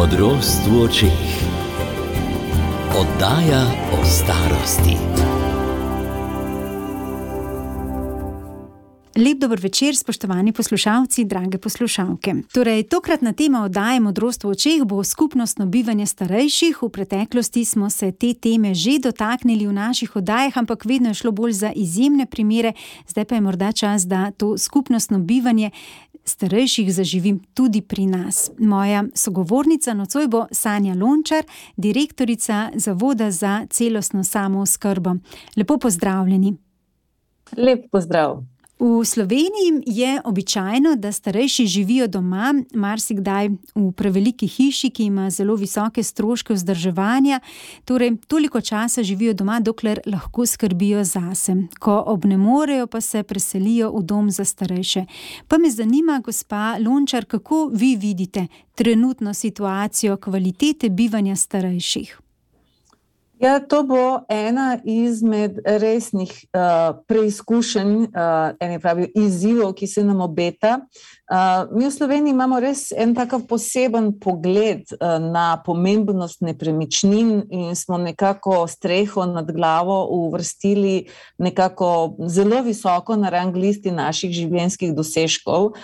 Modrost v očeh. Oddaja o starosti. Lep dober večer, spoštovani poslušalci, drage poslušalke. Torej, tokratna tema oddaje Modrost v očeh bo skupnostno bivanje starejših. V preteklosti smo se te teme že dotaknili v naših oddajah, ampak vedno je šlo bolj za izjemne primere. Zdaj pa je morda čas, da to skupnostno bivanje starejših zaživim tudi pri nas. Moja sogovornica nocoj bo Sanja Lončar, direktorica Zavoda za celostno samooskrbo. Lepo pozdravljeni. Lep pozdrav. V Sloveniji je običajno, da starejši živijo doma, marsikdaj v preveliki hiši, ki ima zelo visoke stroške vzdrževanja. Torej, toliko časa živijo doma, dokler lahko skrbijo zase. Ko obnemorejo, pa se preselijo v dom za starejše. Pa me zanima, gospa Lončar, kako vi vidite trenutno situacijo kvalitete bivanja starejših? Ja, to bo ena izmed resnih preizkušenj, izzivov, ki se nam obeta. Mi v Sloveniji imamo res en takav poseben pogled na pomembnost nepremičnin in smo nekako streho nad glavo uvrstili nekako zelo visoko na rang listi naših življenjskih dosežkov.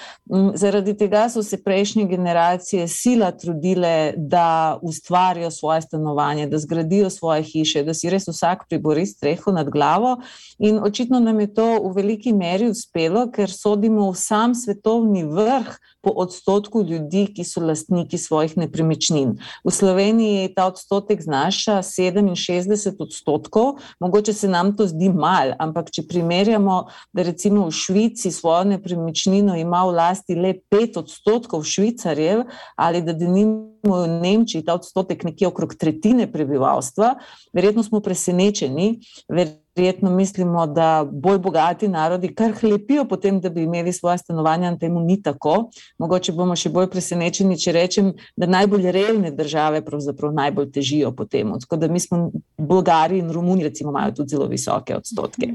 Zaradi tega so se prejšnje generacije sila trudile, da ustvarijo svoje stanovanje, da zgradijo svoje hiše, da si res vsak pribori streho nad glavo, in očitno nam je to v veliki meri uspelo, ker sodimo v sam svetovni vrh po odstotku ljudi, ki so lastniki svojih nepremičnin. V Sloveniji ta odstotek znaša 67%, mogoče se nam to zdi malo, ampak če primerjamo, da recimo v Švici svojo nepremičnino ima v lasti le 5% Švicarjev, ali da denimo v Nemčiji ta odstotek nekje okrog tretjine prebivalstva, verjetno smo presenečeni, verjetno mislimo, da bolj bogati narodi kar hlepijo potem, da bi imeli svoje stanovanja, in temu ni tako. Mogoče bomo še bolj presenečeni, če rečem, da najbolj revne države pravzaprav najbolj težijo po tem. Tako da mi smo Bolgari in Romuni recimo imajo tudi zelo visoke odstotke.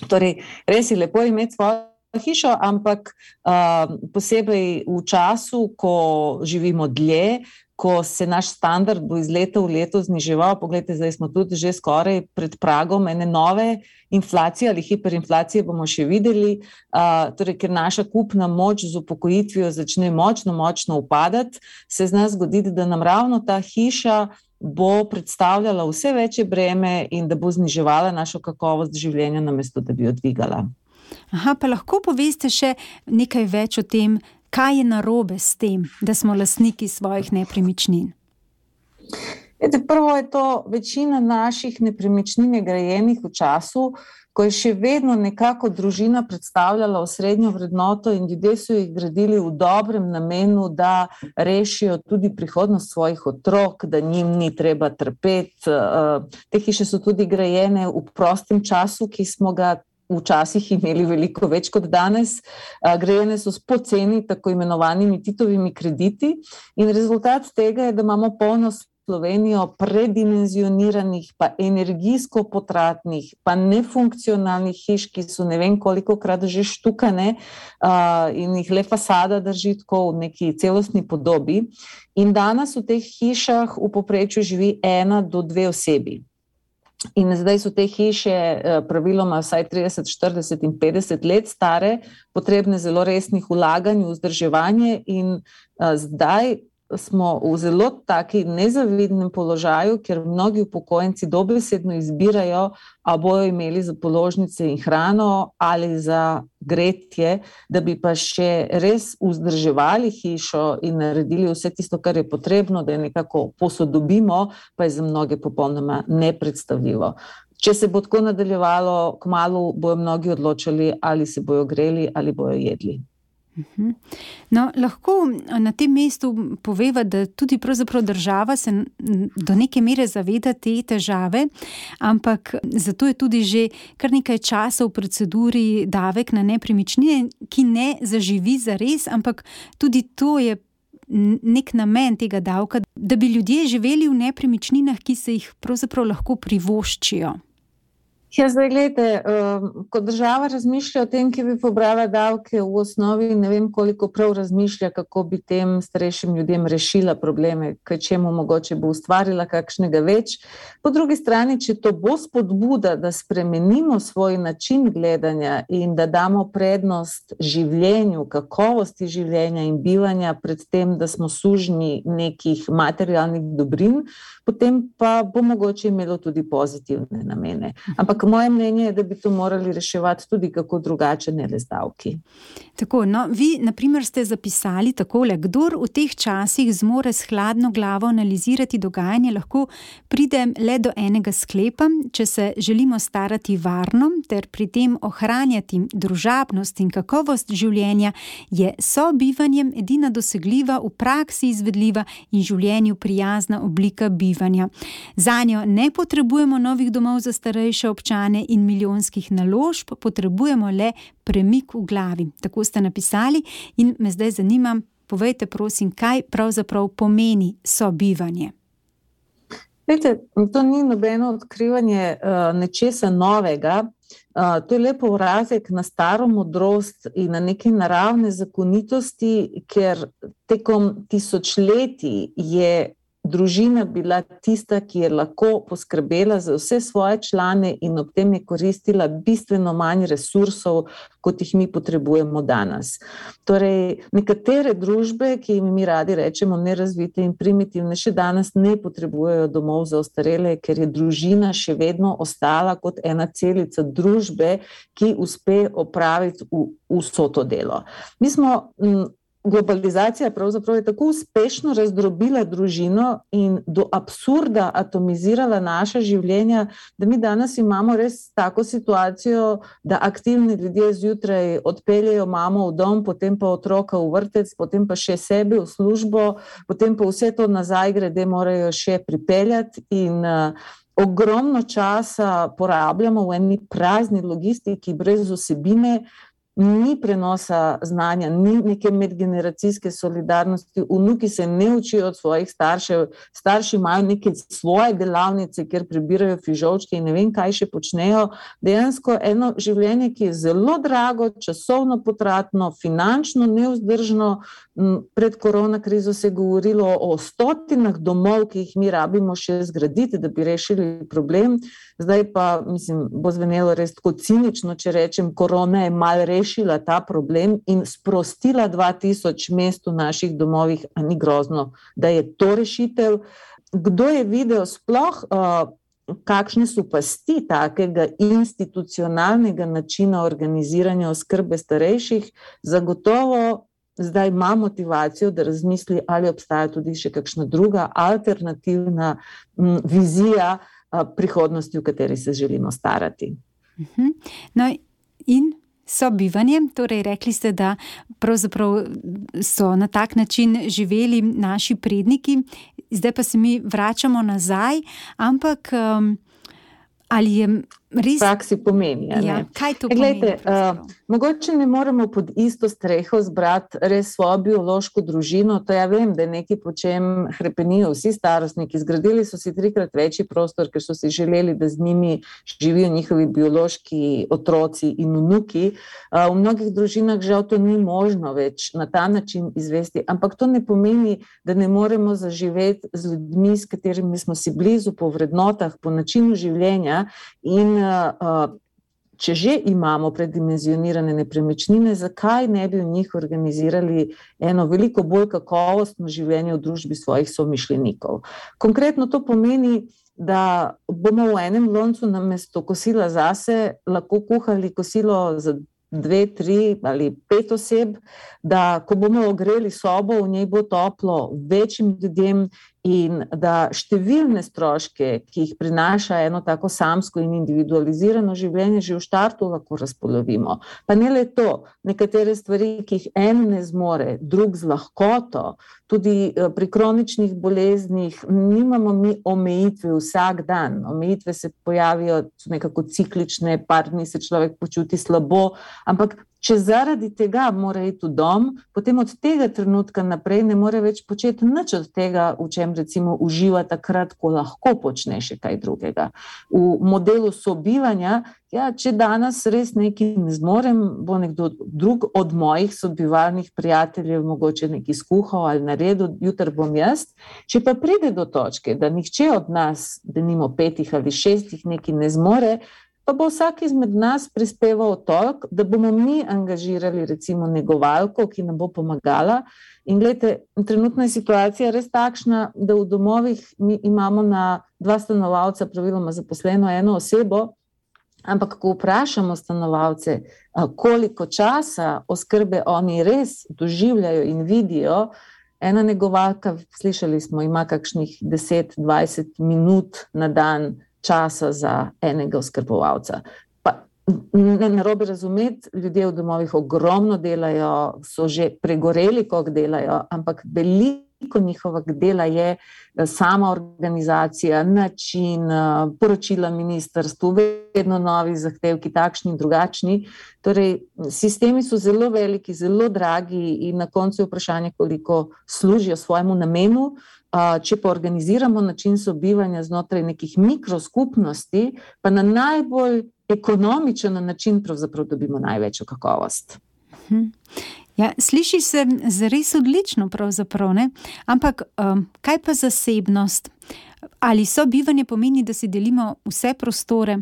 Torej, res je lepo imeti svojo hišo, ampak posebej v času, ko živimo dlje, ko se naš standard bo iz leta v leto zniževal. Poglejte, zdaj smo tudi že skoraj pred pragom ene nove inflacije ali hiperinflacije, bomo še videli. Torej, ker naša kupna moč z upokojitvijo začne močno upadati, se zna zgoditi, da nam ravno ta hiša bo predstavljala vse večje breme in da bo zniževala našo kakovost življenja, namesto da bi jo dvigala. Aha, pa lahko poveste še nekaj več o tem, kaj je narobe s tem, da smo lastniki svojih nepremičnin? Prvo je to, večina naših nepremičnin je grajenih v času, ko je še vedno nekako družina predstavljala osrednjo vrednoto in ljudje so jih gradili v dobrem namenu, da rešijo tudi prihodnost svojih otrok, da njim ni treba trpeti. Te hiše so tudi grajene v prostem času, ki smo ga včasih imeli veliko več kot danes. Grajene so s poceni, tako imenovanimi Titovimi krediti, in rezultat tega je, da imamo polno Slovenijo predimenzioniranih, pa energijsko potratnih, pa nefunkcionalnih hiš, ki so ne vem kolikokrat že štukane in jih le fasada drži tako v neki celostni podobi. In danes v teh hišah v povprečju živi 1 do 2 osebi. In zdaj so te hiše praviloma vsaj 30, 40 in 50 let stare, potrebne zelo resnih vlaganj v vzdrževanje, in zdaj smo v zelo taki nezavidnem položaju, ker mnogi upokojenci dobesedno izbirajo, a bojo imeli za položnice in hrano ali za gretje, da bi pa še res vzdrževali hišo in naredili vse tisto, kar je potrebno, da je nekako posodobimo, pa je za mnoge popolnoma nepredstavljivo. Če se bo tako nadaljevalo, kmalu bojo mnogi odločali, ali se bojo greli ali bojo jedli. No, lahko na tem mestu poveva, da tudi pravzaprav država se do neke mere zaveda te težave, ampak zato je tudi že kar nekaj časa v proceduri davek na nepremičnine, ki ne zaživi zares, ampak tudi to je nek namen tega davka, da bi ljudje živeli v nepremičninah, ki se jih pravzaprav lahko privoščijo. Ja, zdaj, gledajte, ko država razmišlja o tem, ki bi pobrala davke, v osnovi ne vem, koliko prav razmišlja, kako bi tem starejšim ljudem rešila probleme, kaj čemu mogoče bo ustvarila kakšnega več. Po drugi strani, če to bo spodbuda, da spremenimo svoj način gledanja in da damo prednost življenju, kakovosti življenja in bivanja pred tem, da smo sužnji nekih materialnih dobrin, potem pa bo mogoče imelo tudi pozitivne namene. Ampak moje mnenje je, da bi to morali reševati tudi kako drugače, ne le z davki. Tako, no, vi, na primer, ste zapisali takole: kdor v teh časih zmore s hladno glavo analizirati dogajanje, lahko pride le do enega sklepa: če se želimo starati varno ter pri tem ohranjati družabnost in kakovost življenja, je sobivanjem edina dosegljiva, v praksi izvedljiva in življenju prijazna oblika bivanja. Zanjo ne potrebujemo novih domov za starejše občane in milijonskih naložb, potrebujemo le premik v glavi. Tako ste napisali in me zdaj zanima, povejte prosim, kaj pravzaprav pomeni sobivanje. Veste, to ni nobeno odkrivanje nečesa novega, to je le povratek na staro modrost in na neke naravne zakonitosti, ker tekom tisočletij je družina bila tista, ki je lahko poskrbela za vse svoje člane in ob tem je koristila bistveno manj resursov, kot jih mi potrebujemo danes. Torej, nekatere družbe, ki jim mi radi rečemo nerazvite in primitivne, še danes ne potrebujejo domov za ostarele, ker je družina še vedno ostala kot ena celica družbe, ki uspe opraviti vso to delo. Mi smo globalizacija pravzaprav je tako uspešno razdrobila družino in do absurda atomizirala naša življenja, da mi danes imamo res tako situacijo, da aktivni ljudje zjutraj odpeljejo mamo v dom, potem pa otroka v vrtec, potem pa še sebe v službo, potem pa vse to nazaj grede morajo še pripeljati in ogromno časa porabljamo v eni prazni logistiki brez vsebine. Ni prenosa znanja, ni neke medgeneracijske solidarnosti, vnuki se ne učijo od svojih staršev, starši imajo neke svoje delavnice, kjer prebirajo fižolčke in ne vem, kaj še počnejo. Dejansko eno življenje, ki je zelo drago, časovno potratno, finančno nevzdržno. Pred korona krizo se je govorilo o 100 domov, ki jih mi rabimo še zgraditi, da bi rešili problem. Zdaj pa, mislim, bo zvenelo res tako cinično, če rečem, korona je malo rešila ta problem in sprostila 2000 mest v naših domovih, a ni grozno, da je to rešitev. Kdo je videl sploh, kakšne so pasti takega institucionalnega načina organiziranja oskrbe starejših, zagotovo zdaj ima motivacijo, da razmisli, ali obstaja tudi še kakšna druga alternativna vizija prihodnosti, v kateri se želimo starati. No in sobivanje, torej rekli ste, da pravzaprav so na tak način živeli naši predniki, zdaj pa se mi vračamo nazaj, ampak ali je res... praksi pomeni, ja, kaj to pomeni? Glejte, mogoče ne moremo pod isto streho zbrati res svojo biološko družino, to ja vem, da je nekaj, po čem hrepenijo vsi starostniki, zgradili so si 3-krat večji prostor, ker so si želeli, da z njimi živijo njihovi biološki otroci in vnuki. V mnogih družinah žal to ni možno več na ta način izvesti, ampak to ne pomeni, da ne moremo zaživeti z ljudmi, s katerimi smo si blizu po vrednotah, po načinu življenja. In če že imamo predimenzionirane nepremičnine, zakaj ne bi v njih organizirali eno veliko bolj kakovostno življenje v družbi svojih somišljenikov. Konkretno to pomeni, da bomo v enem loncu namesto kosila zase lahko kuhali kosilo za 2, 3 ali 5 oseb, da ko bomo ogreli sobo, v njej bo toplo večjim ljudem in da številne stroške, ki jih prinaša eno tako samsko in individualizirano življenje, že v štartu lahko razpolovimo. Pa ne le to, nekatere stvari, ki jih en ne zmore, drug z lahkoto, tudi pri kroničnih boleznih nimamo mi omejitve vsak dan. Omejitve se pojavijo, so nekako ciklične, par dni se človek počuti slabo, ampak Če zaradi tega mora iti v dom, potem od tega trenutka naprej ne more več početi nič od tega, v čem recimo uživa takrat, ko lahko počne še kaj drugega. V modelu sobivanja, če danes res nekaj ne zmorem, bo nekdo drug od mojih sobivalnih prijateljev mogoče nekaj skuhal ali naredil, jutri bom jaz. Če pa pride do točke, da nihče od nas, denimo 5 ali 6 nekaj ne zmore, pa bo vsak izmed nas prispeval toliko, da bomo mi angažirali recimo negovalko, ki nam bo pomagala. In gledajte, trenutna je situacija res takšna, da v domovih mi imamo na 2 stanovalca praviloma zaposleno 1 osebo, ampak ko vprašamo stanovalce, koliko časa oskrbe oni res doživljajo in vidijo, ena negovalka, slišali smo, ima kakšnih 10-20 minut na dan časa za enega oskrbovalca. Pa ne narobe razumeti, ljudje v domovih ogromno delajo, so že pregoreli, koliko delajo, ampak veliko njihovega dela je sama organizacija, način, poročila ministrstvu, vedno novi zahtevki, takšni in drugačni. Torej, sistemi so zelo veliki, zelo dragi in na koncu je vprašanje, koliko služijo svojemu namenu. Če pa organiziramo način sobivanja znotraj nekih mikroskupnosti, pa na najbolj ekonomičen način pravzaprav dobimo največjo kakovost. Ja, sliši se zares odlično pravzaprav, ne? Ampak kaj pa zasebnost? Ali sobivanje pomeni, da si delimo vse prostore?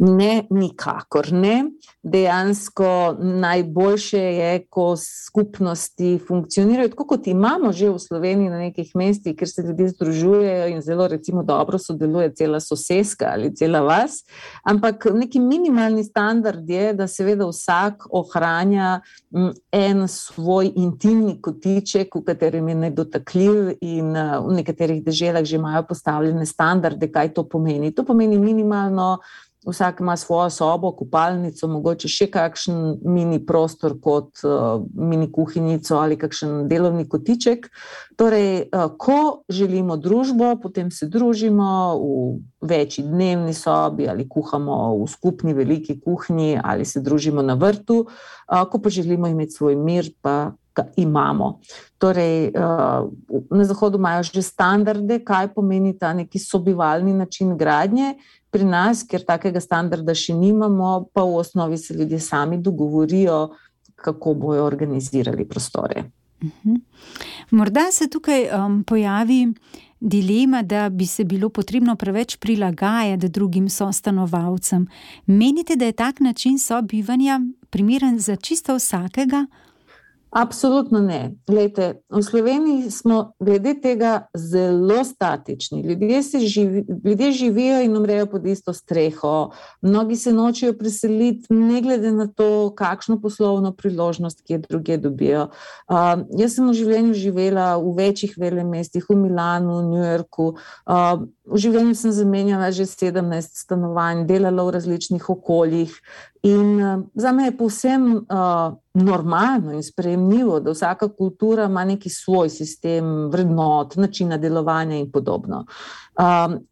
Ne, nikakor ne. Dejansko najboljše je, ko skupnosti funkcionirajo, tako kot imamo že v Sloveniji na nekih mestih, kjer se ljudje združujejo in zelo recimo dobro sodeluje cela soseska ali cela vas, ampak neki minimalni standard je, da seveda vsak ohranja en svoj intimni kotiček, v katerem je nedotakljiv in v nekaterih deželah že imajo postavljene standarde, kaj to pomeni. To pomeni minimalno, vsak ima svojo sobo, kopalnico, mogoče še kakšen mini prostor kot mini kuhinjico ali kakšen delovni kotiček. Torej, ko želimo družbo, potem se družimo v večji dnevni sobi ali kuhamo v skupni veliki kuhinji ali se družimo na vrtu. Ko pa želimo imeti svoj mir, pa ga imamo. Torej, na Zahodu imajo že standarde, kaj pomeni ta neki sobivalni način gradnje. Pri nas, ker takega standarda še nimamo, pa v osnovi se ljudje sami dogovorijo, kako bojo organizirali prostore. Morda se tukaj pojavi dilema, da bi se bilo potrebno preveč prilagajati drugim sostanovalcem. Menite, da je tak način sobivanja primeren za čisto vsakega? Absolutno ne. Glejte, v Sloveniji smo glede tega zelo statični. Ljudje živijo in umrejo pod isto streho. Mnogi se nočejo preseliti, ne glede na to, kakšno poslovno priložnost, ki je drugje dobijo. Jaz sem v življenju živela v večjih velemestih, v Milanu, v New Yorku. V življenju sem zamenjala že 17 stanovanj, delala v različnih okoljih. In zame je povsem normalno in sprejemljivo, da vsaka kultura ima neki svoj sistem vrednot, načina delovanja in podobno.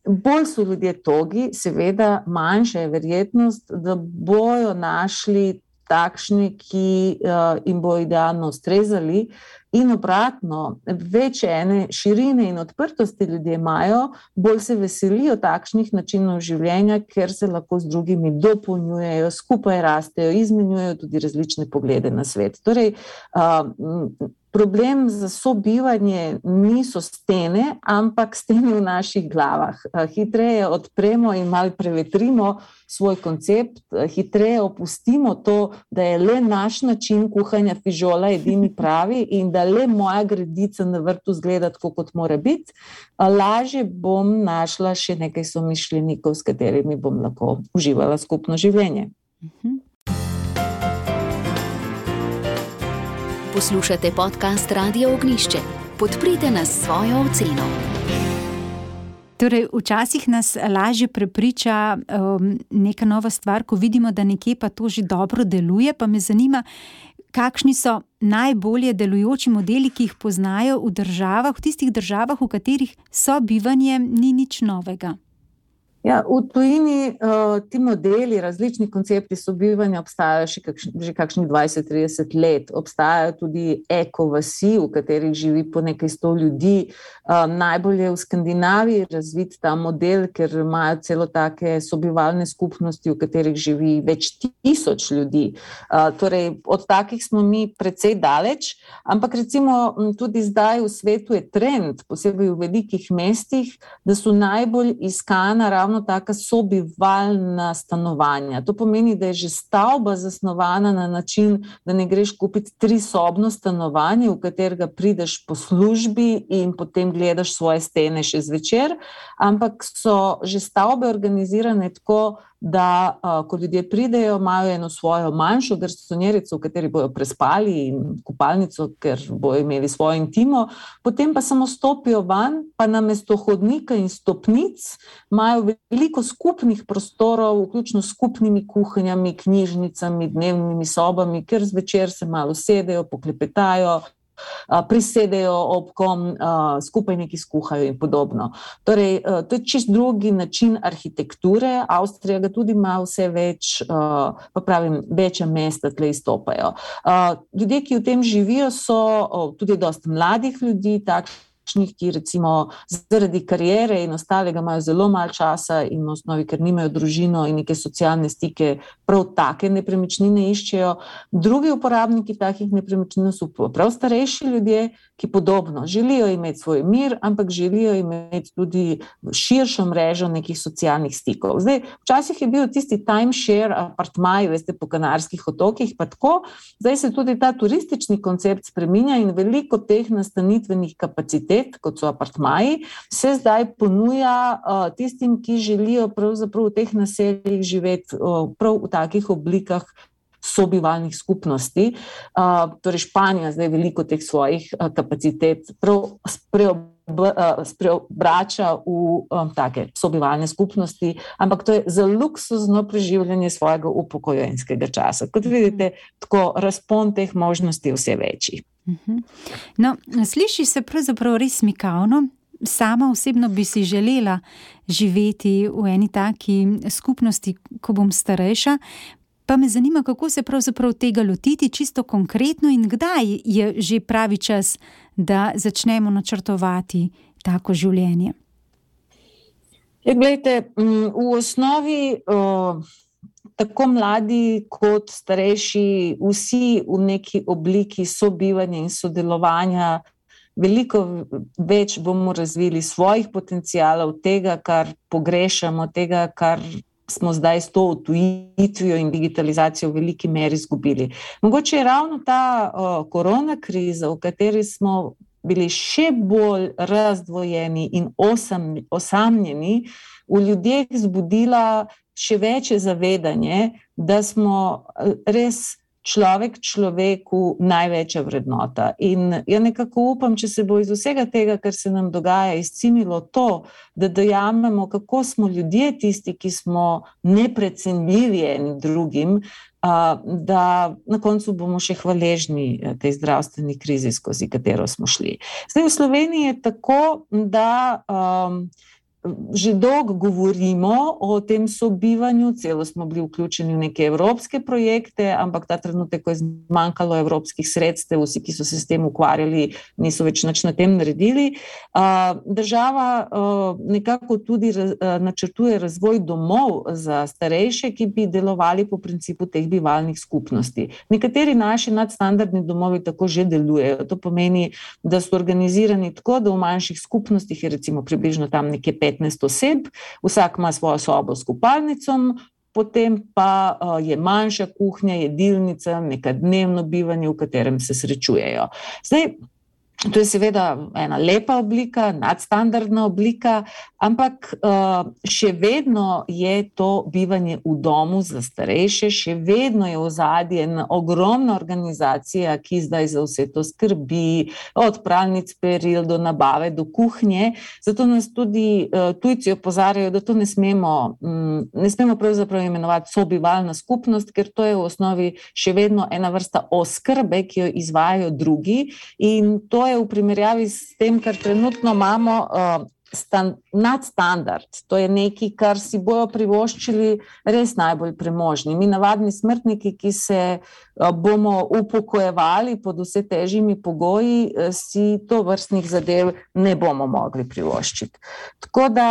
Bolj so ljudje togi, seveda manjša je verjetnost, da bojo našli takšni, ki jim bo idealno ustrezali. In obratno, več ene širine in odprtosti ljudje imajo, bolj se veselijo takšnih načinov življenja, ker se lahko z drugimi dopolnjujejo, skupaj rastejo, izmenjujejo tudi različne poglede na svet. Torej, problem za sobivanje niso stene, ampak stene v naših glavah. Hitreje odpremo in malo prevetrimo svoj koncept, hitreje opustimo to, da je le naš način kuhanja fižola edini pravi in da le moja gredica na vrtu izgleda tako, kot mora biti. Lažje bom našla še nekaj somišljenikov, s katerimi bom lahko uživala skupno življenje. Poslušate podcast Radio Ognjišče. Podprite nas s svojo oceno. Torej, včasih nas lažje prepriča neka nova stvar, ko vidimo, da nekje pa to že dobro deluje, pa me zanima, kakšni so najbolje delujoči modeli, ki jih poznajo v tistih državah, v katerih sobivanje ni nič novega. Ja, v tujini ti modeli, različni koncepti sobivanja obstajajo že kakšnih 20-30 let. Obstajajo tudi ekovasi, v katerih živi po nekaj 100 ljudi. Najbolj je v Skandinaviji razvit ta model, ker imajo celo take sobivalne skupnosti, v katerih živi več 1000 ljudi. Torej, od takih smo mi precej daleč, ampak recimo tudi zdaj v svetu je trend, posebej v velikih mestih, da so najbolj iskana ravno taka sobivalna stanovanja. To pomeni, da je že stavba zasnovana na način, da ne greš kupiti 3-sobno stanovanje, v katerega prideš po službi in potem gledaš svoje stene še zvečer, ampak so že stavbe organizirane tako, da ko ljudje pridejo, imajo eno svojo manjšo garsonjerico, v kateri bojo prespali, in kopalnico, ker bojo imeli svojo intimo, potem pa samo stopijo van, pa namesto hodnika in stopnic imajo veliko skupnih prostorov, vključno s skupnimi kuhinjami, knjižnicami, dnevnimi sobami, ker zvečer se malo sedejo, poklepetajo, prisedejo ob kom, skupaj nekaj skuhajo in podobno. Torej, to je čisto drugi način arhitekture. Avstrija ga tudi ima vse več, pa pravim, večja mesta tle izstopajo. Ljudje, ki v tem živijo, so tudi dosti mladih ljudi, ki recimo zaradi kariere in ostalega imajo zelo malo časa in v osnovi, ker nimajo družino in neke socialne stike, prav take nepremičnine iščejo. Drugi uporabniki takih nepremičnin so prav starejši ljudje, ki podobno želijo imeti svoj mir, ampak želijo imeti tudi širšo mrežo nekih socialnih stikov. Zdaj, včasih je bil tisti timeshare apartmaji, veste, po Kanarskih otokih, pa tako, zdaj se tudi ta turistični koncept spreminja in veliko teh nastanitvenih kapacitet, kot so apartmaji, se zdaj ponuja tistim, ki želijo pravzaprav v teh naseljih živeti prav v takih oblikah sobivalnih skupnosti. Torej Španija zdaj veliko teh svojih kapacitet prav preobrača v take sobivalne skupnosti, ampak to je za luksuzno preživljanje svojega upokojenskega časa. Kot vidite, tako razpon teh možnosti vse večji. No, sliši se pravzaprav res mikavno. Sama osebno bi si želela živeti v eni taki skupnosti, ko bom starejša, pa me zanima, kako se pravzaprav tega lotiti čisto konkretno in kdaj je že pravi čas, da začnemo načrtovati tako življenje. Ja, glejte, v osnovi tako mladi kot starejši, vsi v neki obliki sobivanja in sodelovanja, veliko več bomo razvili svojih potencialov, tega, kar pogrešamo, tega, kar smo zdaj s to odtujitvijo in digitalizacijo v veliki meri izgubili. Mogoče je ravno ta korona kriza, v kateri smo bili še bolj razdvojeni in osamljeni, v ljudeh zbudila še večje zavedanje, da smo res človek človeku največja vrednota. In ja nekako upam, če se bo iz vsega tega, kar se nam dogaja, izcimilo to, da dojamemo, kako smo ljudje tisti, ki smo neprecenljivi eni drugim, da na koncu bomo še hvaležni tej zdravstveni krizi, skozi katero smo šli. Zdaj v Sloveniji je tako, da že dolgo govorimo o tem sobivanju, celo smo bili vključeni v neke evropske projekte, ampak ta trenutek, ko je zmanjkalo evropskih sredstev, vsi, ki so se s tem ukvarjali, niso več nič na tem naredili. Država nekako tudi načrtuje razvoj domov za starejše, ki bi delovali po principu teh bivalnih skupnosti. Nekateri naši nadstandardni domovi tako že delujejo. To pomeni, da so organizirani tako, da v manjših skupnostih je recimo približno tam nekje 15 oseb, vsak ima svojo sobo s kopalnicom, potem pa je manjša kuhinja, jedilnica, neka dnevno bivanje, v katerem se srečujejo. Zdaj, to je seveda ena lepa oblika, nadstandardna oblika, ampak še vedno je to bivanje v domu za starejše, še vedno je v ozadju ena ogromna organizacija, ki zdaj za vse to skrbi, od pralnic, peril do nabave, do kuhnje. Zato nas tudi tujci opozarjajo, da to ne smemo pravzaprav imenovati sobivalna skupnost, ker to je v osnovi še vedno ena vrsta oskrbe, ki jo izvajajo drugi, in to je v primerjavi s tem, kar trenutno imamo, nadstandard. To je nekaj, kar si bojo privoščili res najbolj premožni. Mi navadni smrtniki, ki se bomo upokojevali pod vse težjimi pogoji, si to vrstnih zadev ne bomo mogli privoščiti. Tako da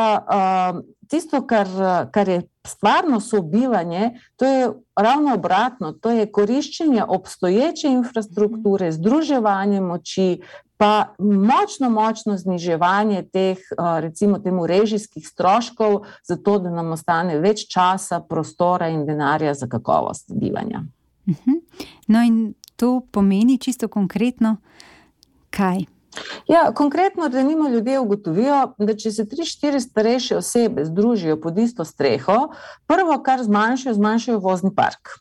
tisto, kar je stvarno sobivanje, to je ravno obratno, to je koriščenje obstoječe infrastrukture, združevanje moči, pa močno zniževanje teh, recimo temu, režijskih stroškov, zato da nam ostane več časa, prostora in denarja za kakovost bivanja. No in to pomeni čisto konkretno kaj? Ja, konkretno, da ljudje ugotovijo, da če se 3-4 starejše osebe združijo pod isto streho, prvo, kar zmanjšajo vozni park.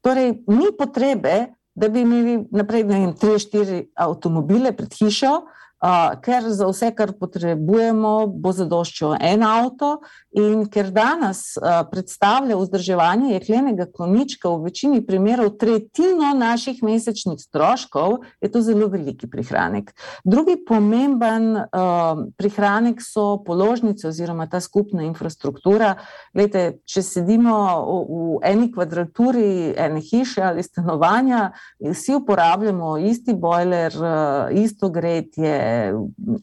Torej, ni potrebe, da bi imeli naprej 3-4 avtomobile pred hišo, ker za vse, kar potrebujemo, bo zadoščal en avto, in ker danes predstavlja vzdrževanje jeklenega konjička v večini primerov tretjino naših mesečnih stroškov, je to zelo veliki prihranek. Drugi pomemben prihranek so položnice oziroma ta skupna infrastruktura. Glejte, če sedimo v eni kvadraturi ene hiše ali stanovanja, vsi uporabljamo isti bojler, isto gretje,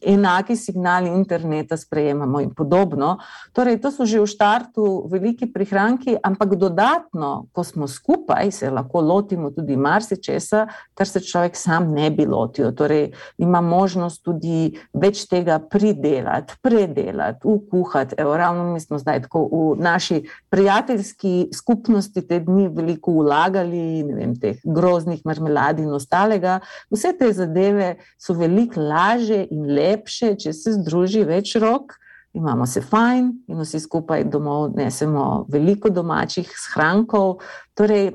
enaki signali interneta sprejemamo in podobno. Torej, to so že v štartu veliki prihranki, ampak dodatno, ko smo skupaj, se lahko lotimo tudi marsičesa, kar se človek sam ne bi lotil. Torej, ima možnost tudi več tega pridelati, predelati, ukuhati. Evo, ravno mi smo zdaj tako v naši prijateljski skupnosti te dni veliko vlagali, ne vem, teh groznih marmelad in ostalega. Vse te zadeve so veliko lažje in lepše, če se združi več rok, imamo se fajn in vsi skupaj domov nesemo veliko domačih shrankov. Torej,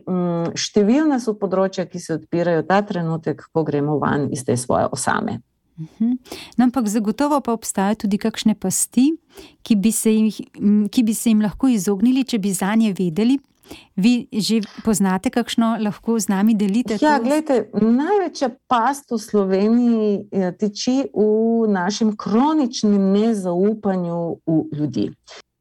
številna so področja, ki se odpirajo ta trenutek, ko gremo van iz te svoje osame. No, ampak zagotovo pa obstajajo tudi kakšne pasti, ki bi se jim lahko izognili, če bi zanje vedeli. Vi že poznate kakšno, lahko z nami delite? Ja, gledajte, največja past v Sloveniji tiči v našem kroničnem nezaupanju v ljudi.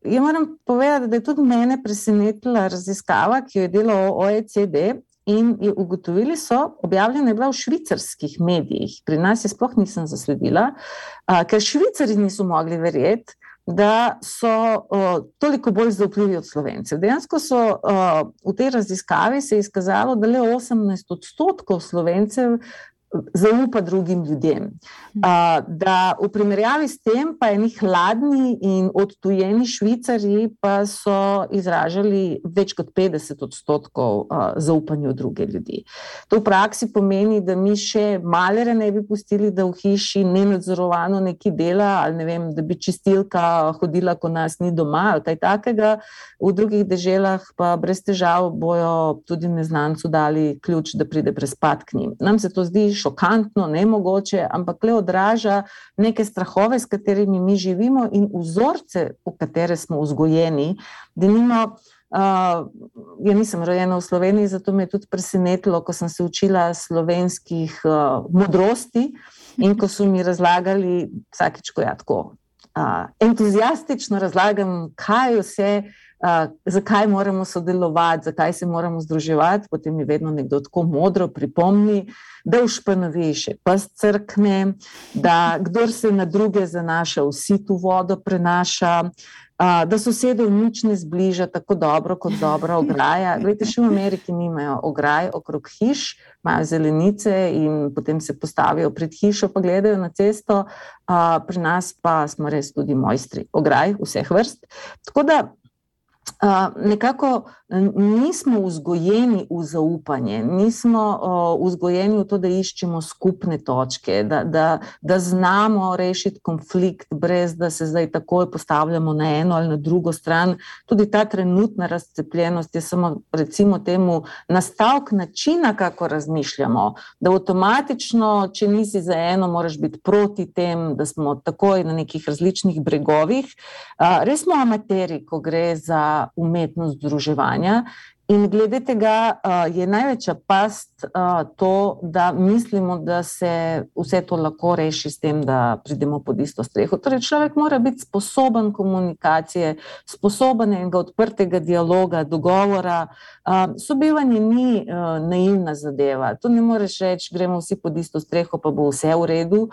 Ja, moram povedati, da je tudi mene presenetila raziskava, ki jo je delal OECD, in je ugotovili so, objavljena je bila v švicarskih medijih, pri nas je sploh nisem zasledila, ker Švicari niso mogli verjeti, da so toliko bolj zaupljivi od Slovencev. Dejansko so v tej raziskavi se je izkazalo, da le 18% Slovencev zaupa drugim ljudem. Da v primerjavi s tem pa eni hladni in odtujeni Švicarji pa so izražali več kot 50% zaupanju druge ljudi. To v praksi pomeni, da mi še malere ne bi pustili, da v hiši nenadzorovano nekaj dela, ali ne vem, da bi čistilka hodila, ko nas ni doma, ali kaj takega. V drugih deželah pa brez težav bojo tudi neznancu dali ključ, da pride prespat k njim. Nam se to zdi šokantno, nemogoče, ampak le odraža neke strahove, s katerimi mi živimo, in vzorce, v katere smo vzgojeni. Denimo, ja nisem rojena v Sloveniji, zato me je tudi presenetilo, ko sem se učila slovenskih modrosti in ko so mi razlagali vsakič, ko ja tako entuziastično razlagam, kaj vse, zakaj moramo sodelovati, zakaj se moramo združevati, potem mi vedno nekdo tako modro pripomni, da v španovi še pes crkne, da kdor se na druge zanaša, vsi tu vodo prenaša, da sosedov nič ne zbliža tako dobro kot dobra ograja. Glejte, še v Ameriki nimajo ograj okrog hiš, imajo zelenice in potem se postavijo pred hišo, pa gledajo na cesto. Pri nas pa smo res tudi mojstri ograj vseh vrst. Tako da nekako nismo vzgojeni v zaupanje, nismo vzgojeni v to, da iščemo skupne točke, da znamo rešiti konflikt, brez da se zdaj takoj postavljamo na eno ali na drugo stran. Tudi ta trenutna razcepljenost je samo, recimo temu, nastavek načina, kako razmišljamo, da avtomatično, če nisi za eno, moraš biti proti tem, da smo takoj na nekih različnih bregovih. Res smo amateri, ko gre za umetnost združevanja, In glede tega je največja past to, da mislimo, da se vse to lahko reši s tem, da pridemo pod isto streho. Torej, človek mora biti sposoben komunikacije, sposoben enega odprtega dialoga, dogovora. Sobivanje ni naivna zadeva. To ne moreš reči, gremo vsi pod isto streho, pa bo vse v redu.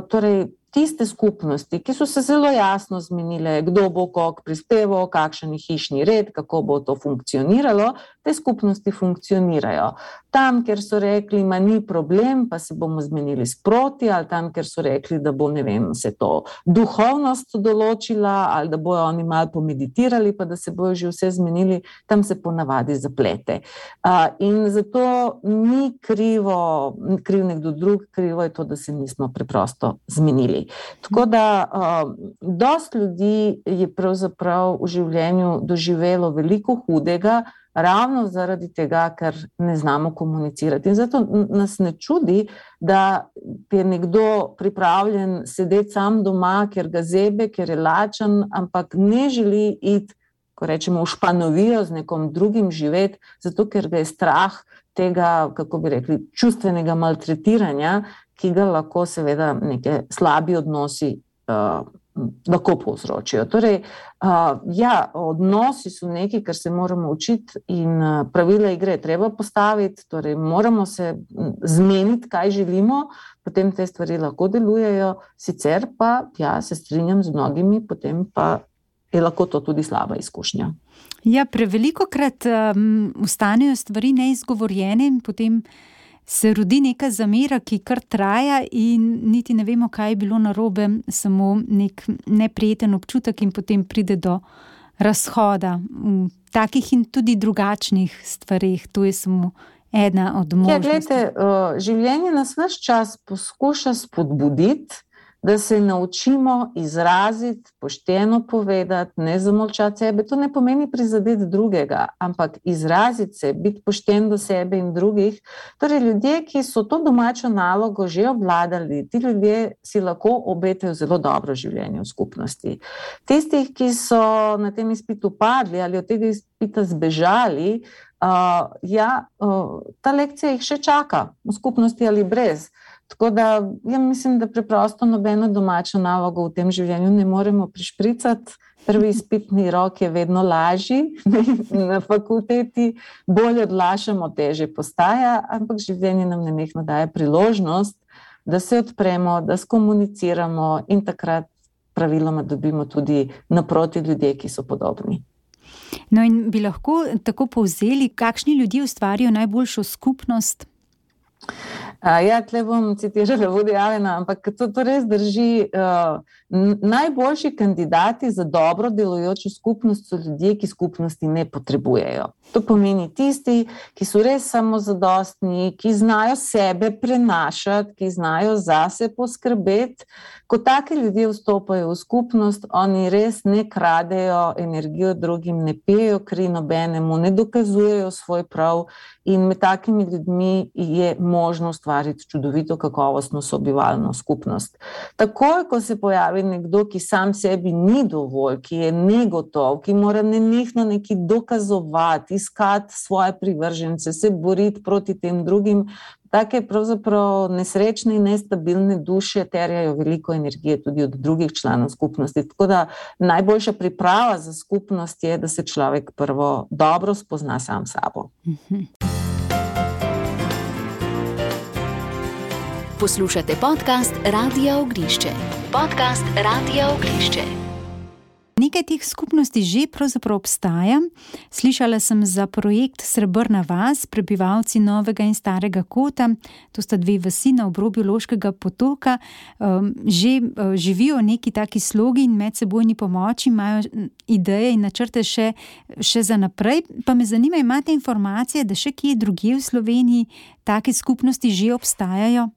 Torej, tiste skupnosti, ki so se zelo jasno zmenile, kdo bo koliko prispeval, kakšen je hišni red, kako bo to funkcioniralo, te skupnosti funkcionirajo. Tam, kjer so rekli, ma ni problem, pa se bomo zmenili sproti, ali tam, kjer so rekli, da bo, ne vem, se to duhovnost določila, ali da bojo oni malo pomeditirali, pa da se bojo že vse zmenili, tam se ponavadi zaplete. In zato ni kriv nekdo drug, krivo je to, da se nismo preprosto zmenili. Tako da dosti ljudi je pravzaprav v življenju doživelo veliko hudega, ravno zaradi tega, ker ne znamo komunicirati. In zato nas ne čudi, da je nekdo pripravljen sedeti sam doma, ker ga zebe, ker je lačen, ampak ne želi iti, ko rečemo, v španovijo z nekom drugim živeti, zato ker ga je strah tega, kako bi rekli, čustvenega maltretiranja, ki ga lahko seveda neke slabi odnosi lahko povzročijo. Torej, odnosi so nekaj, kar se moramo učiti in pravila igre treba postaviti, torej moramo se zmeniti, kaj želimo, potem te stvari lahko delujejo, sicer pa, se strinjam z mnogimi, potem pa je lahko to tudi slaba izkušnja. Ja, prevelikokrat ostanejo stvari neizgovorjene in potem se rodi neka zamera, ki kar traja in niti ne vemo, kaj je bilo narobe, samo nek neprijeten občutek in potem pride do razhoda v takih in tudi drugačnih stvareh. To je samo ena od možnosti. Glejte, življenje nas ves čas poskuša spodbuditi, da se naučimo izraziti, pošteno povedati, ne zamolčati sebe. To ne pomeni prizadeti drugega, ampak izraziti se, biti pošten do sebe in drugih. Torej, ljudje, ki so to domačo nalogo že obvladali, ti ljudje si lahko obetajo zelo dobro življenje v skupnosti. Tistih, ki so na tem izpitu padli ali od tega izpita zbežali, ta lekcija jih še čaka, v skupnosti ali brez. Tako da, mislim, da preprosto nobeno domačo nalogo v tem življenju ne moremo prišpricati. Prvi izpitni rok je vedno lažji, na fakulteti bolj odlašamo, težje postaja, ampak življenje nam nenehno daje priložnost, da se odpremo, da skomuniciramo in takrat praviloma dobimo tudi naproti ljudje, ki so podobni. No in bi lahko tako povzeli, kakšni ljudje ustvarijo najboljšo skupnost? Tle bom citirala Woody Allena, ampak to res drži. Najboljši kandidati za dobro delujočo skupnost so ljudje, ki skupnosti ne potrebujejo. To pomeni tisti, ki so res samozadostni, ki znajo sebe prenašati, ki znajo zase poskrbeti. Ko taki ljudje vstopajo v skupnost, oni res ne kradejo energijo drugim, ne pijejo kri nobenemu, ne dokazujejo svoj prav in med takimi ljudmi je možno ustvariti čudovito kakovostno sobivalno skupnost. Takoj, ko se pojavi nekdo, ki sam sebi ni dovolj, ki je negotov, ki mora nenehno nekaj dokazovati, iskati svoje privržence, se boriti proti tem drugim, take pravzaprav nesrečne in nestabilne duše terjajo veliko energije tudi od drugih članov skupnosti. Tako da najboljša priprava za skupnost je, da se človek prvo dobro spozna sam sabo. Poslušate podcast Radia Ognišče. Podcast Radia Ognišče. Nekaj teh skupnosti že pravzaprav obstaja. Slišala sem za projekt Srebrna vas, prebivalci Novega in Starega Kota. To sta dve vasi na obrobju Loškega potoka. Že živijo neki taki slogi in medsebojni pomoči, imajo ideje in načrte še za naprej. Pa me zanima, imate informacije, da še kje drugje v Sloveniji take skupnosti že obstajajo?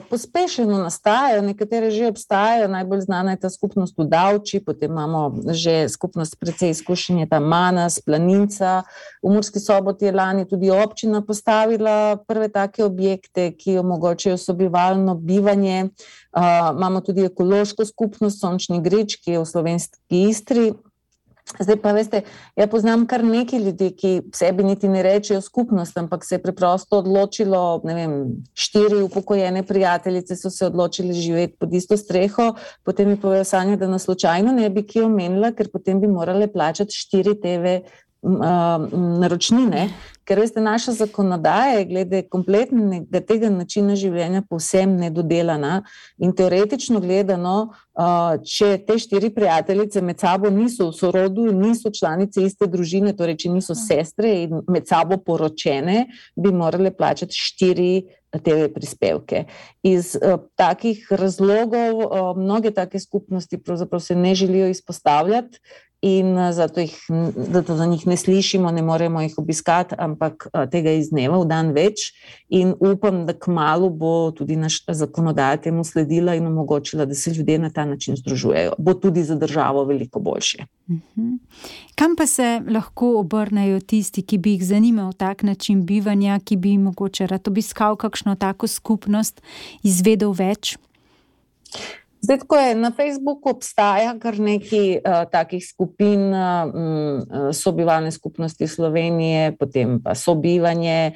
Pospešeno nastajajo, nekatere že obstajajo, najbolj znana je ta skupnost v Davči, potem imamo že skupnost precej izkušenje, ta Manas, Planinca, v Murski Soboti je lani tudi občina postavila prve take objekte, ki omogočajo sobivalno bivanje. Imamo tudi ekološko skupnost Sončni Grič, ki je v slovenski Istri. Zdaj pa veste, ja poznam kar nekaj ljudi, ki sebi niti ne rečejo skupnost, ampak se je preprosto odločilo, 4 upokojene prijateljice so se odločili živeti pod isto streho, potem mi povedo Sanja, da nas slučajno ne bi kje omenila, ker potem bi morale plačati 4 TV naročnine, ker veste, naša zakonodaja je glede kompletnega tega načina življenja povsem nedodelana in teoretično gledano, če te 4 prijateljice med sabo niso v sorodu, niso članice iste družine, torej če niso sestre in med sabo poročene, bi morale plačati 4 TV prispevke. Iz takih razlogov mnoge take skupnosti pravzaprav se ne želijo izpostavljati in zato za njih ne slišimo, ne moremo jih obiskati, ampak tega iz dneva v dan več in upam, da kmalu bo tudi naša zakonodaja temu sledila in omogočila, da se ljudje na ta način združujejo. Bo tudi za državo veliko boljše. Kam pa se lahko obrnejo tisti, ki bi jih zanimal tak način bivanja, ki bi mogoče rad obiskal kakšno tako skupnost, izvedel več? Zdaj, tako je, na Facebooku obstaja kar nekaj takih skupin sobivalne skupnosti Slovenije, potem pa sobivanje,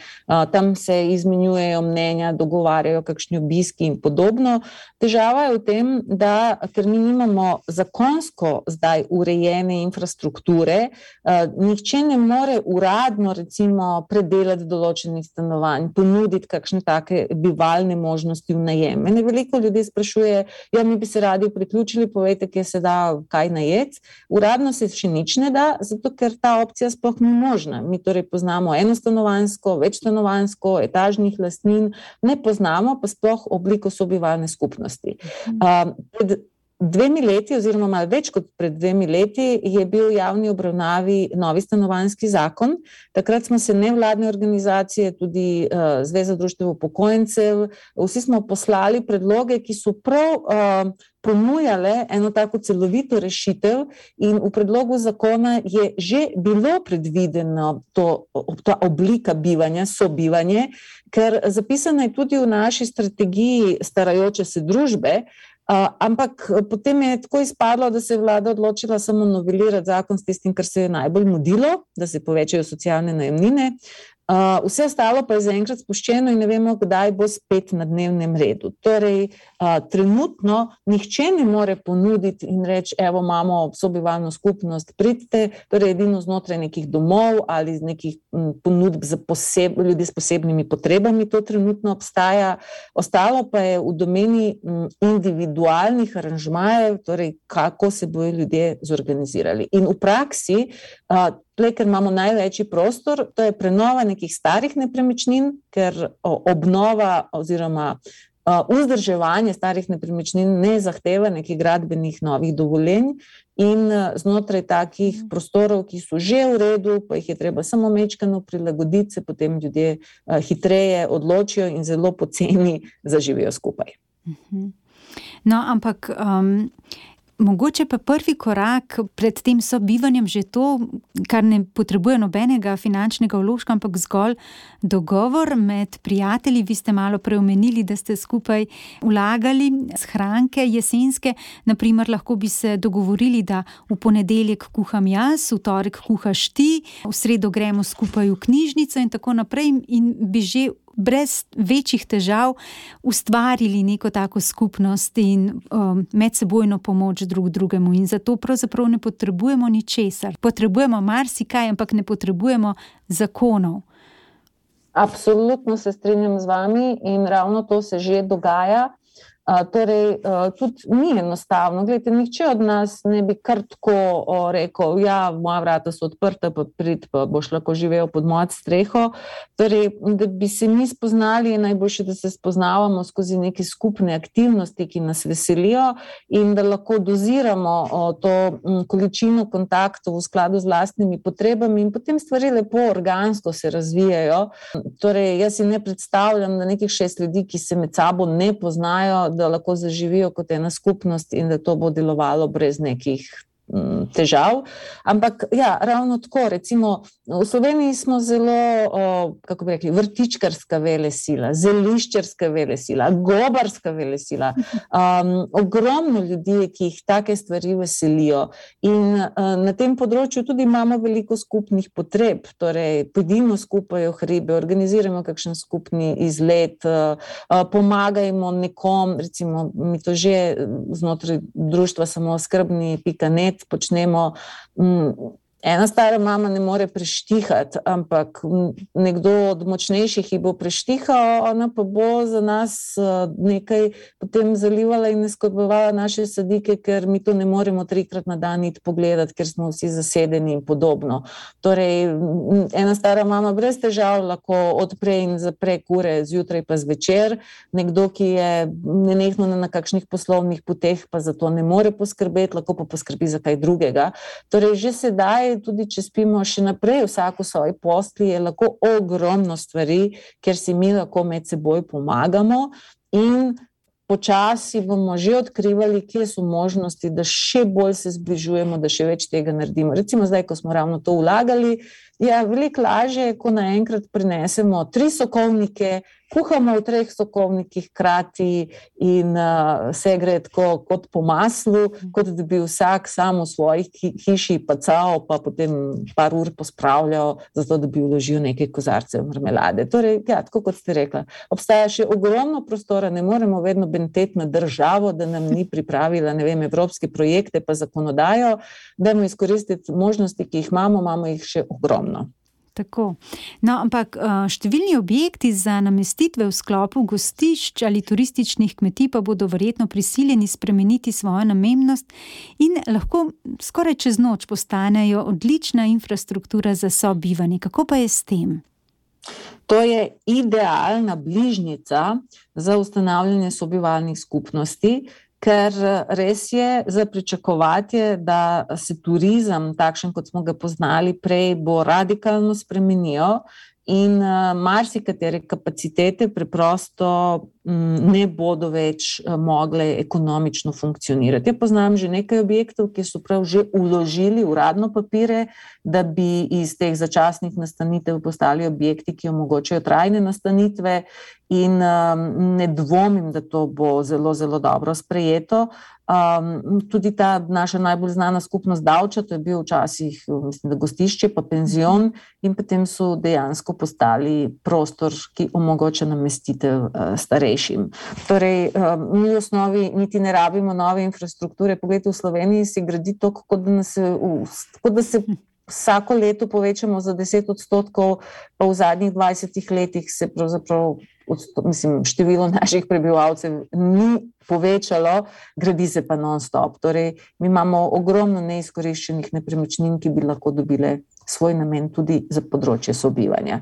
tam se izmenjujejo mnenja, dogovarjajo kakšni obiski in podobno. Težava je v tem, da ker mi nimamo zakonsko zdaj urejene infrastrukture, nihče ne more uradno recimo predelati določenih stanovanj, ponuditi kakšne take bivalne možnosti v najem. Mene veliko ljudi sprašuje, mi bi se radi priključili, povejte, kje se da kaj najeti. Uradno se še nič ne da, zato ker ta opcija sploh ni možna. Mi torej poznamo enostanovanjsko, večstanovanjsko, etažnih lastnin, ne poznamo pa sploh obliko sobivalne skupnosti. Pred 2 leti oziroma malo več kot pred 2 leti je bil v javni obravnavi novi stanovanjski zakon. Takrat smo se nevladne organizacije, tudi Zveza društev upokojencev, vsi smo poslali predloge, ki so prav ponujale eno tako celovito rešitev in v predlogu zakona je že bilo predvideno ta oblika bivanja, sobivanje, ker zapisano je tudi v naši strategiji starajoče se družbe, ampak potem je tako izpadlo, da se je vlada odločila samo novelirati zakon s tistim, kar se je najbolj mudilo, da se povečajo socialne najemnine. Vse ostalo pa je zaenkrat spuščeno in ne vemo, kdaj bo spet na dnevnem redu. Torej, trenutno nihče ne more ponuditi in reči, evo, imamo sobivalno skupnost, pridite, torej edino znotraj nekih domov ali z nekih ponudb za ljudi s posebnimi potrebami, to trenutno obstaja. Ostalo pa je v domeni individualnih aranžmajev, torej kako se bojo ljudje zorganizirali. In v praksi, ker imamo največji prostor, to je prenova nekih starih nepremičnin, ker obnova oziroma vzdrževanje starih nepremičnin ne zahteva nekih gradbenih novih dovoljenj in znotraj takih prostorov, ki so že v redu, pa jih je treba samo majčkeno prilagoditi, se potem ljudje hitreje odločijo in zelo poceni zaživijo skupaj. No, ampak mogoče pa prvi korak pred tem sobivanjem že to, kar ne potrebuje nobenega finančnega vložka, ampak zgolj dogovor med prijatelji. Vi ste malo preomenili, da ste skupaj vlagali shranke jesenske. Naprimer, lahko bi se dogovorili, da v ponedeljek kuham jaz, v torek kuhaš ti, v sredo gremo skupaj v knjižnico in tako naprej in bi že brez večjih težav ustvarili neko tako skupnost in medsebojno pomoč drug drugemu. In zato pravzaprav ne potrebujemo ničesar. Potrebujemo marsikaj, ampak ne potrebujemo zakonov. Absolutno se strinjam z vami in ravno to se že dogaja. Torej, tudi ni enostavno. Glejte, nihče od nas ne bi kar tako rekel, moja vrata so odprta, pa prid, pa boš lahko živel pod mojo streho. Torej, da bi se mi spoznali, je najboljše, da se spoznavamo skozi neke skupne aktivnosti, ki nas veselijo in da lahko doziramo to količino kontaktov v skladu z vlastnimi potrebami in potem stvari lepo organsko se razvijajo. Torej, jaz si ne predstavljam, da nekih 6 ljudi, ki se med sabo ne poznajo, da lahko zaživijo kot ena skupnost in da to bo delovalo brez nekih težav, ampak ja, ravno tako, recimo v Sloveniji smo zelo, kako bi rekli, vrtičkarska velesila, zeliščarska velesila, gobarska velesila, ogromno ljudi, ki jih take stvari veselijo in na tem področju tudi imamo veliko skupnih potreb, torej pojdimo skupaj v hribe, organiziramo kakšen skupni izlet, pomagajmo nekom, recimo mi to že znotraj društva samooskrbni.net počnemo, ena stara mama ne more preštihati, ampak nekdo od močnejših ji bo preštihal, ona pa bo za nas nekaj potem zalivala in skrbovala naše sadike, ker mi to ne moremo 3-krat na dan iti pogledati, ker smo vsi zasedeni in podobno. Torej, ena stara mama brez težav lahko odpre in zapre kure zjutraj pa zvečer, nekdo, ki je nenehno na kakšnih poslovnih poteh, pa za to ne more poskrbeti, lahko pa poskrbi za kaj drugega. Torej, že sedaj tudi če spimo še naprej vsako svoji postelji, je lahko ogromno stvari, kjer si mi lahko med seboj pomagamo in počasi bomo že odkrivali, kje so možnosti, da še bolj se zbližujemo, da še več tega naredimo. Recimo zdaj, ko smo ravno to vlagali, veliko lažje, ko naenkrat prinesemo 3 sokovnike, kuhamo v 3 sokovnikih hkrati in se gre tako kot po maslu, kot da bi vsak sam v svojih hiši pacal, pa potem par ur pospravljal, zato da bi vložil nekaj kozarcev marmelade. Torej, ja, tako kot ste rekla, obstaja še ogromno prostora, ne moremo vedno benteti na državo, da nam ni pripravila, ne vem, evropske projekte pa zakonodajo, dajmo izkoristiti možnosti, ki jih imamo jih še ogromno. Tako. No, ampak številni objekti za namestitve v sklopu gostišč ali turističnih kmetij pa bodo verjetno prisiljeni spremeniti svojo namembnost in lahko skoraj čez noč postanejo odlična infrastruktura za sobivanje. Kako pa je s tem? To je idealna bližnjica za ustanavljanje sobivalnih skupnosti, ker res je za pričakovati, da se turizem, takšen kot smo ga poznali prej, bo radikalno spremenil in marsikatere kapacitete preprosto ne bodo več mogle ekonomično funkcionirati. Ja poznam že nekaj objektov, ki so prav že vložili uradno papire, da bi iz teh začasnih nastanitev postali objekti, ki omogočajo trajne nastanitve in ne dvomim, da to bo zelo, zelo dobro sprejeto. Tudi ta naša najbolj znana skupnost Davča, to je bil včasih, mislim, da gostišče pa penzion in potem so dejansko postali prostor, ki omogoča namestitev starejšim. Torej, mi v osnovi niti ne rabimo nove infrastrukture. Poglejte, v Sloveniji se gradi to, kot da se vsako leto povečamo za 10%, pa v zadnjih 20 letih se pravzaprav število naših prebivalcev ni povečalo, gradi se pa non-stop. Torej, mi imamo ogromno neizkoriščenih nepremičnin, ki bi lahko dobile svoj namen tudi za področje sobivanja.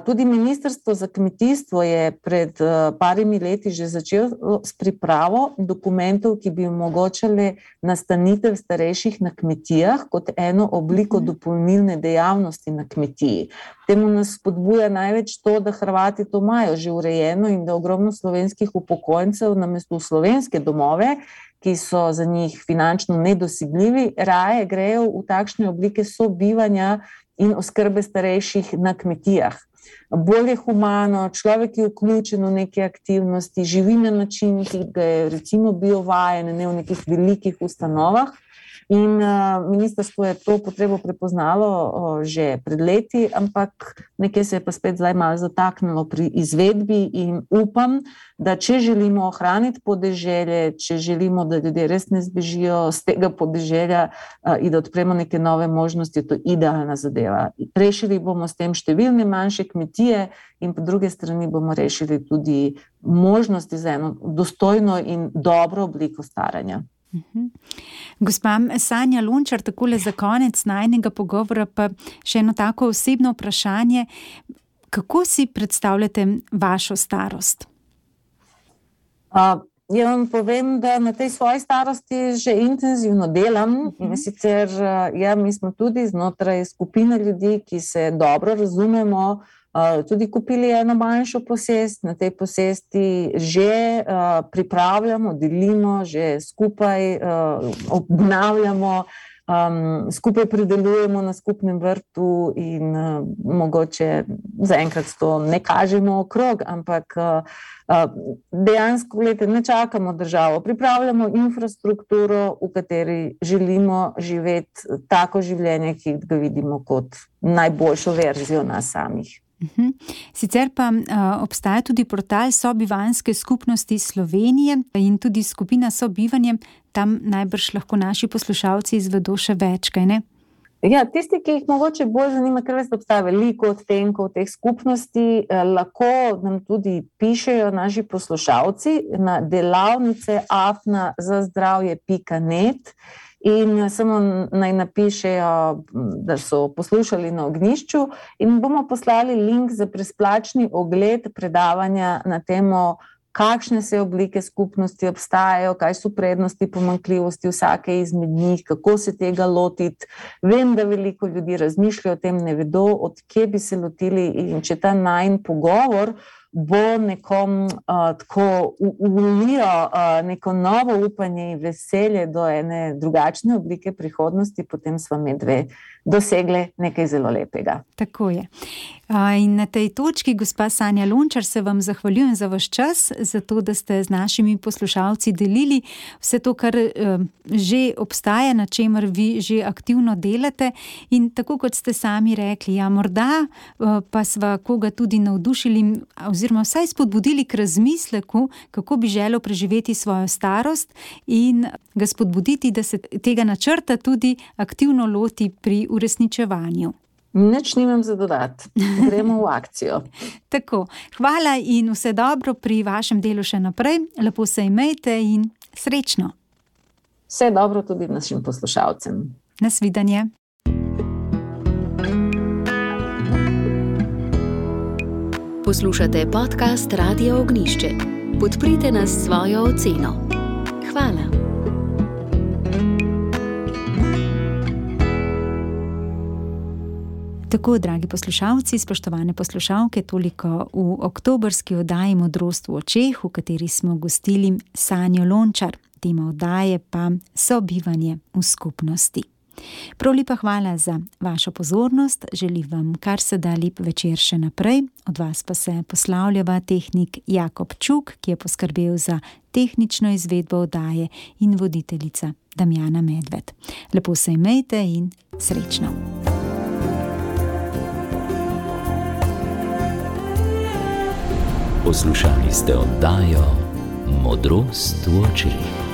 Tudi Ministrstvo za kmetijstvo je pred parimi leti že začelo s pripravo dokumentov, ki bi omogočali nastanitev starejših na kmetijah kot eno obliko dopolnilne dejavnosti na kmetiji. Temu nas spodbuja največ to, da Hrvati to imajo že urejeno in da ogromno slovenskih upokojencev namesto v slovenske domove, ki so za njih finančno nedosegljivi, raje grejo v takšne oblike sobivanja in oskrbe starejših na kmetijah. Bolj je humano, človek je vključen v neke aktivnosti, živi na način, ki ga je recimo bil vajen, ne v nekih velikih ustanovah. In ministrstvo je to potrebo prepoznalo že pred leti, ampak nekaj se je pa spet zdaj malo zataknilo pri izvedbi in upam, da če želimo ohraniti podeželje, če želimo, da ljudje res ne zbežijo z tega podeželja in da odpremo neke nove možnosti, je to idealna zadeva. Rešili bomo s tem številne manjše kmetije in po druge strani bomo rešili tudi možnosti za eno dostojno in dobro obliko staranja. Gospa Sanja Lončar, takole za konec najinega pogovora pa še eno tako osebno vprašanje. Kako si predstavljate vašo starost? Ja vam povem, da na tej svoji starosti že intenzivno delam in sicer mi smo tudi znotraj skupine ljudi, ki se dobro razumemo, tudi kupili eno manjšo posest, na tej posesti že pripravljamo, delimo, že skupaj obnavljamo skupaj pridelujemo na skupnem vrtu in mogoče zaenkrat to ne kažemo okrog, ampak dejansko, ne čakamo državo, pripravljamo infrastrukturo, v kateri želimo živeti tako življenje, ki ga vidimo kot najboljšo verzijo nas samih. Sicer pa obstaja tudi portal Sobivanske skupnosti Slovenije in tudi skupina Sobivanje. Tam najbrž lahko naši poslušalci izvedo še več, kaj ne? Ja, tisti, ki jih mogoče bolj zanima, ker veste, obstaja veliko odtenkov teh skupnosti, lahko nam tudi pišejo naši poslušalci na delavnice@zazdravje.net in samo naj napišejo, da so poslušali na Ognjišču in bomo poslali link za brezplačni ogled predavanja na temo, kakšne vse oblike skupnosti obstajajo, kaj so prednosti, pomanjkljivosti vsake izmed njih, kako se tega lotiti. Vem, da veliko ljudi razmišlja o tem, ne vedo, od kje bi se lotili in če ta najin pogovor bo nekom tako ulijo neko novo upanje in veselje do ene drugačne oblike prihodnosti, potem sva medve dosegle nekaj zelo lepega. Tako je. In na tej točki, gospa Sanja Lončar, se vam zahvaljujem za vaš čas, za to, da ste z našimi poslušalci delili vse to, kar že obstaja, na čemer vi že aktivno delate. In tako kot ste sami rekli, ja, morda pa sva koga tudi navdušili oziroma vsaj spodbudili k razmisleku, kako bi želel preživeti svojo starost in ga spodbuditi, da se tega načrta tudi aktivno loti pri uresničevanju. Nič nimam za dodati. Gremo v akcijo. Tako. Hvala in vse dobro pri vašem delu še naprej. Lepo se imejte in srečno. Vse dobro tudi našim poslušalcem. Nasvidenje. Poslušate podcast Radio Ognjišče. Podprite nas s svojo oceno. Hvala. Tako, dragi poslušalci, spoštovane poslušalke, toliko v oktobrski oddaji Modrost v očeh, v kateri smo gostili Sanjo Lončar. Tema oddaje pa Sobivanje v skupnosti. Prav lepa hvala za vašo pozornost, želim vam kar se da lep večer še naprej. Od vas pa se poslavljava tehnik Jakob Čuk, ki je poskrbel za tehnično izvedbo oddaje, in voditeljica Damjana Medved. Lepo se imejte in srečno. Poslušali ste oddajo Modrost v očeh.